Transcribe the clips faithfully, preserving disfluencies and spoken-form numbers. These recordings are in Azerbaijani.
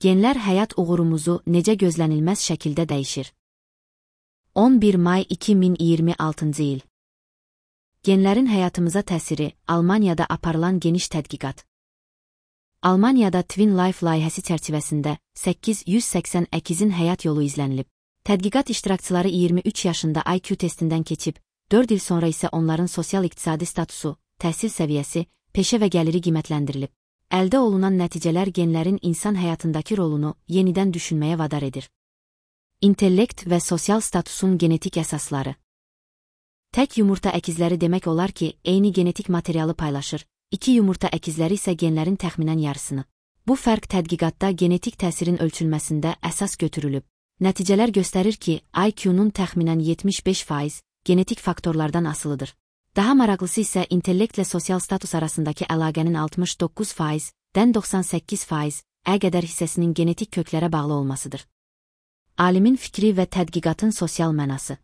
Genlər həyat uğurumuzu necə gözlənilməz şəkildə dəyişir. on bir may iki min iyirmi altıncı il. Genlərin həyatımıza təsiri, Almaniyada aparılan geniş tədqiqat. Almaniyada Twin Life layihəsi çərçivəsində səkkiz yüz səksən əkizin həyat yolu izlənilib. Tədqiqat iştirakçıları iyirmi üç yaşında I Q testindən keçib, dörd il sonra isə onların sosial-iqtisadi statusu, təhsil səviyyəsi, peşə və gəliri qiymətləndirilib. Əldə olunan nəticələr genlərin insan həyatındakı rolunu yenidən düşünməyə vadar edir. İntellekt və sosial statusun genetik əsasları. Tək yumurta əkizləri demək olar ki, eyni genetik materialı paylaşır, iki yumurta əkizləri isə genlərin təxminən yarısını. Bu fərq tədqiqatda genetik təsirin ölçülməsində əsas götürülüb. Nəticələr göstərir ki, I Q-nun təxminən yetmiş beş faiz genetik faktorlardan asılıdır. Daha maraqlısı isə intellektlə sosial status arasındakı əlaqənin altmış doqquz faizdən doxsan səkkiz faiz ə qədər hissəsinin genetik köklərə bağlı olmasıdır. Alimin fikri və tədqiqatın sosial mənası.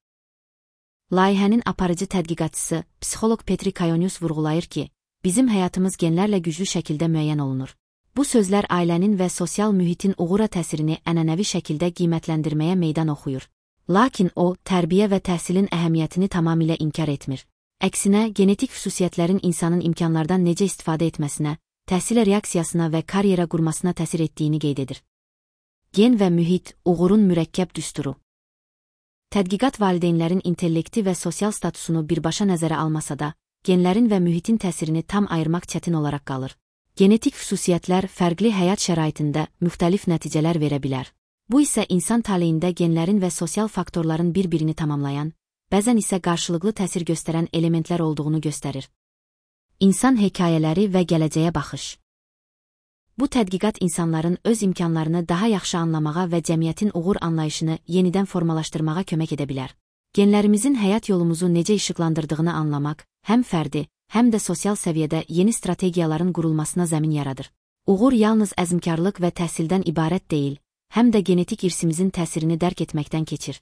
Layihənin aparıcı tədqiqatçısı, psixoloq Petri Kayonius vurğulayır ki, bizim həyatımız genlərlə güclü şəkildə müəyyən olunur. Bu sözlər ailənin və sosial mühitin uğura təsirini ənənəvi şəkildə qiymətləndirməyə meydan oxuyur. Lakin o, tərbiyə və təhsilin əhəmiyyətini tamamilə inkar etmir. Əksinə, genetik xüsusiyyətlərin insanın imkanlardan necə istifadə etməsinə, təhsilə reaksiyasına və karyera qurmasına təsir etdiyini qeyd edir. Gen və mühit, uğurun mürəkkəb düsturu. Tədqiqat valideynlərin intellekti və sosial statusunu birbaşa nəzərə almasa da, genlərin və mühitin təsirini tam ayırmaq çətin olaraq qalır. Genetik xüsusiyyətlər fərqli həyat şəraitində müxtəlif nəticələr verə bilər. Bu isə insan taleyində genlərin və sosial faktorların bir-birini tamamlayan, bəzən isə qarşılıqlı təsir göstərən elementlər olduğunu göstərir. İnsan hekayələri və gələcəyə baxış. Bu tədqiqat insanların öz imkanlarını daha yaxşı anlamağa və cəmiyyətin uğur anlayışını yenidən formalaşdırmağa kömək edə bilər. Genlərimizin həyat yolumuzu necə işıqlandırdığını anlamaq, həm fərdi, həm də sosial səviyyədə yeni strategiyaların qurulmasına zəmin yaradır. Uğur yalnız əzmkarlıq və təhsildən ibarət deyil, həm də genetik irsimizin təsirini dərk etməkdən keçir.